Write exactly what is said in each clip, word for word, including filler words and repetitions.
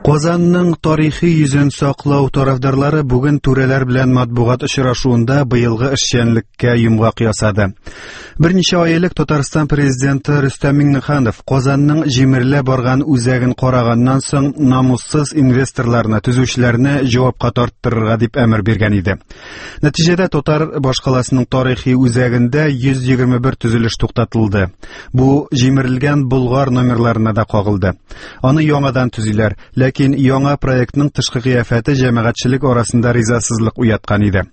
Казанның тарихи йөзен саклау тарафдарлары бүген түрәләр белән матбугат очрашуында быелгы эшчәнлеккә йомгак ясады. Берничә ай элек Татарстан президенты Рөстәм Миңнеханов Казанның җимерелә барган үзәген караганнан соң намуссыз инвесторларны, төзүчеләрне җавапка тарттырырга дип әмер биргән иде. Нәтиҗәдә татар башкаласының тарихи үзәгендә йөз егерме бер төзелеш туктатылды. Бу җимерелгән Болгар номерларына да кагылды. Аны яңадан төзиләр, ләкин яңа проектның тышкы кыяфәте җәмәгатьчелек арасында ризасызлык уяткан иде.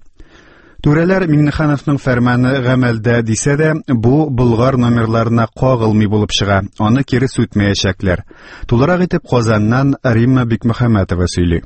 Түрәләр Миңнехановның фәрманы гамәлдә дисә дә, бу Болгар номерларына кагылмый булып чыга, аны кире сүтмәячәкләр. Тулырак итеп Казаннан Римма Бикмөхәммәтова сөйли.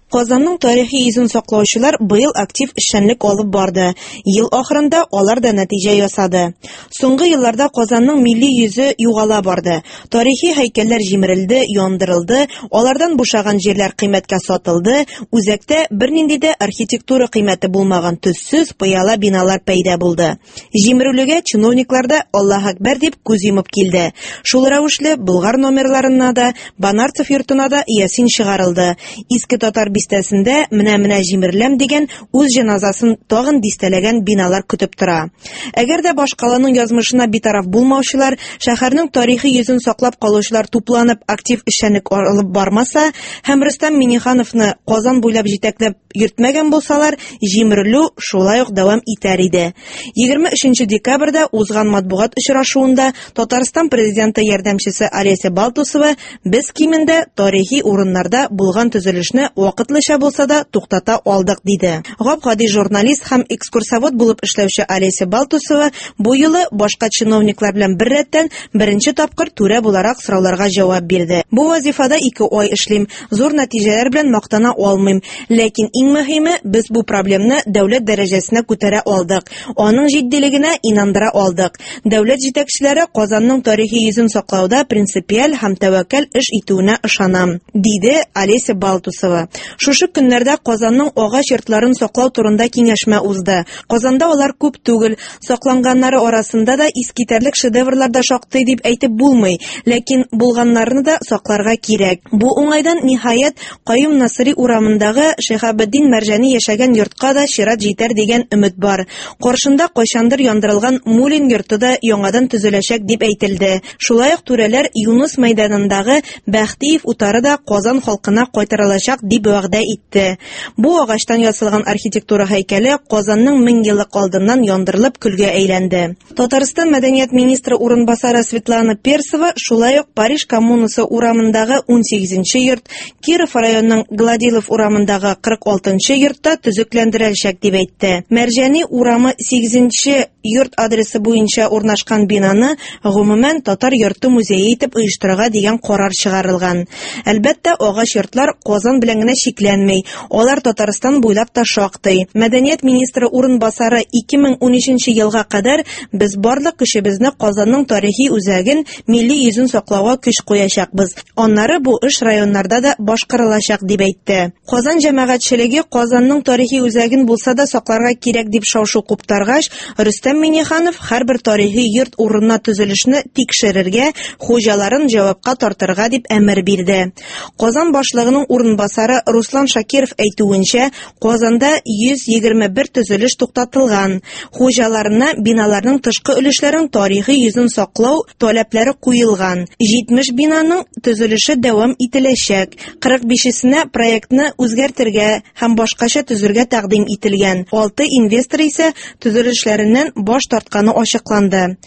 Казанның тарихи йөзен саклаучылар быел актив эшчәнлек алып барды. Ел ахырында алар да нәтиҗә ясады. Соңгы елларда Казанның милли йөзе югала барды. Тарихи һәйкәлләр җимерелде, яндырылды, алардан бушаган җирләр кыйммәткә сатылды, үзәктә бернинди дә архитектура кыйммәте булмаган төссез пыяла биналар пәйда булды. Җимерелүгә чиновниклар да Аллаһ Акбар дип күз йомып килде. Шул рәвешле Болгар номерларына да, Банарцев йортына да ясин чыгарылды. Иске татар бистәсендә менә-менә җимереләм дигән үз җеназасын тагын дистәләгән биналар көтеп тора. Әгәр дә башкаланың язмышына битараф булмаучылар, шәһәрнең тарихи йөзен саклап калучылар тупланып актив эшчәнлек алып бармаса һәм Рөстәм Миңнехановны Казан буйлап җитәкләп йөртмәгән булсалар, җимерелү шулай ук дәвам итәр иде. Егерме өченче декабрьдә узган матбугат очрашуында Татарстан президенты ярдәмчесе Олеся Балтусова без кимендә тарихи урыннарда булган төзелешне вакытлыча булса да туктата алдык диде. Гап-гади журналист һәм экскурсовод булып эшләүче Олеся Балтусова бу юлы башка чиновниклар белән беррәттән беренче тапкыр түрә буларак сорауларга җавап бирде. Бу вазифада ике ай эшлим, зур нәтиҗәләр белән мактана алмыйм, ләкин иң мөһиме без бу проблемны дәүләт дәрәҗәсенә күтәрә алдык, аның җитдилегенә инандыра алдык. Дәүләт җитәкчеләре Казанның тарихи йөзен саклауда принципиаль һәм тәвәккәл эш итүенә ышанам, диде Олеся Балтусова. Шушы көннәрдә Казанның агач йортларын саклау турында киңәшмә узды. Казанда алар күп түгел, сакланганнары арасында да искитәрлек шедеврлар да шактый дип әйтеп булмый, ләкин булганнарны да сакларга кирәк. Бу уңайдан ниһаять Каюм Насыйри урамындагы Шиһабетдин Мәрҗани яшәгән йортка да чират җитәр дигән өмет бар. Каршында кайчандыр яндырылган Мулин йорты да яңадан төзеләчәк дип әйтелде. Шулай ук түрәләр Юныс мәйданындагы Бәхтиев утары да Казан халкына кайтарылачак дип вәгъдә итте. Бу агачтан ясалган архитектура һәйкәле Казанның мең еллык алдыннан яндырылып көлгә әйләнде. Татарстан мәдәният министры урынбасары Светлана Персова шулай ук Париж коммунасы урамындагы ун сигезенче йорт, Киров районының Гладилов урамындагы кырык алтынчы йортта төзекләндереләчәк дип әйтте. Мәрҗани урамы сигезенче йорт адресы буенча урнашкан бинаны гомумән татар йорты музее итеп оештырырга дигән карар чыгарылган. Әлбәттә, агач йортлар Казан белән генә чикләнми, алар Татарстан буйлап та шактый. Мәдәният министры урынбасары ике мең унөченче елга кадәр без барлык көчебезне Казанның тарихи үзәген, милли йөзен саклауга көч куячакбыз. Аннары бу эш районнарда да башкарылачак дип әйтте. Казан җәмәгатьчелеге Казанның тарихи үзәген булса да сакларга кирәк дип шау-шу куптаргач, Рөстәм Миңнеханов һәрбер тарихи йорт урынына төзелешне тикшерергә, хуҗаларын җавапка тартырга дип әмер бирде. Казан башлыгының урынбасары Руслан Шакиров әйтүенчә, Казанда йөз егерме бер төзелеш туктатылган. Хуҗаларына биналарның тышкы өлешләрен тарихи йөзен саклау таләпләре куелган. Җитмеш бинаның төзелеше дәвам ителәчәк. Кырык бишесенә проектны үзгәртергә һәм башкача төзергә тәкъдим ителгән. Алты инвестор исә төзелешләреннән баш тартканы ачыкланды.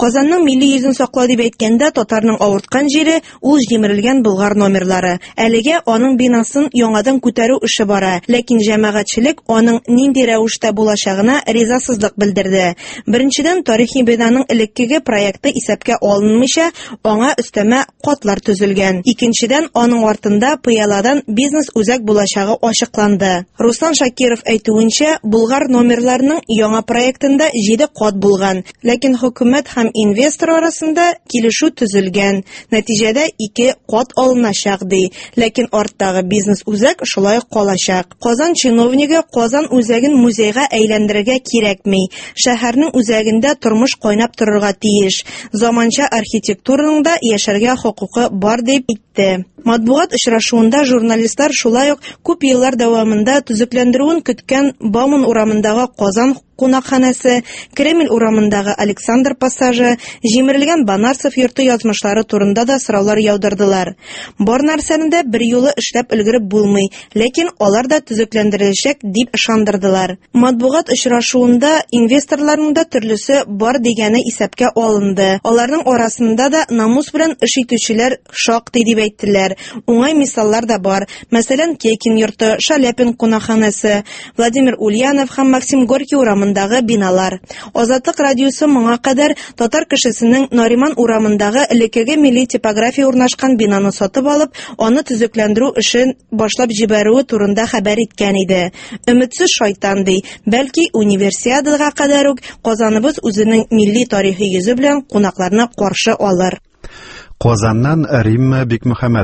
Казанның милли йөзен саклау дип әйткәндә, татарның авырткан җире ул җимерелгән Болгар номерлары. Әлегә аның бинасын яңадан күтәрү эше бара, ләкин җәмәгатьчелек аның нинди рәвештә булачагына ризасызлык белдерде. Беренчедән, тарихи бинаның элеккеге проекты исәпкә алынмыйча, аңа өстәмә катлар төзелгән. Икенчедән, аның артында пыяладан бизнес үзәк булачагы ачыкланды. Руслан Шакиров әйтүенчә, Болгар номерларының яңа проектында җиде кат булган, ләкин хөкүмәт һәм инвестор арасында килешү төзелгән. Нәтиҗәдә ике кат алыначак ди, ләкин арттагы бизнес үзәк шулай ук калачак. Казан чиновнигы Казан үзәген музейга әйләндерергә кирәкми. Шәһәрнең үзәгендә тормыш кайнап торырга тиеш. Заманча архитектураның да яшәргә хокукы бар дип әйтте. Матбугат очрашуында журналистлар шулай ук күп еллар дәвамында төзекләндерүен көткән Бауман урамындагы Казан кунакханәсе, Кремль урамындагы Александр пассажы, җимерелгән Банарцев йорты язмышлары турында да сораулар яудырдылар. Бар нәрсәне дә берьюлы эшләп өлгереп булмый, ләкин алар да төзекләндереләчәк дип ышандырдылар. Матбугат очрашуында инвесторларның да төрлесе бар дигәне исәпкә алынды. Аларның арасында да намус белән эш итүчеләр шактый дип әйттеләр. Уңай мисаллар да бар. Мәсәлән, Кекин йорты, Шаляпин кунакханәсе, Владимир Ульянов һәм Максим Горький урамындагы биналар. Азатлык радиосы моңа кадәр татар кешесенең Нариман урамындагы элеккеге милли типография урнашкан бинаны сатып алып, аны төзекләндерү эшен башлап җибәрүе турында хәбәр иткән иде. Өметсез шайтан ди, бәлки универсиадага кадәр үк Казаныбыз үзенең милли тарихи йөзе белән кунакларны каршы алыр. Казаннан Римма Бикмөхәммәтова.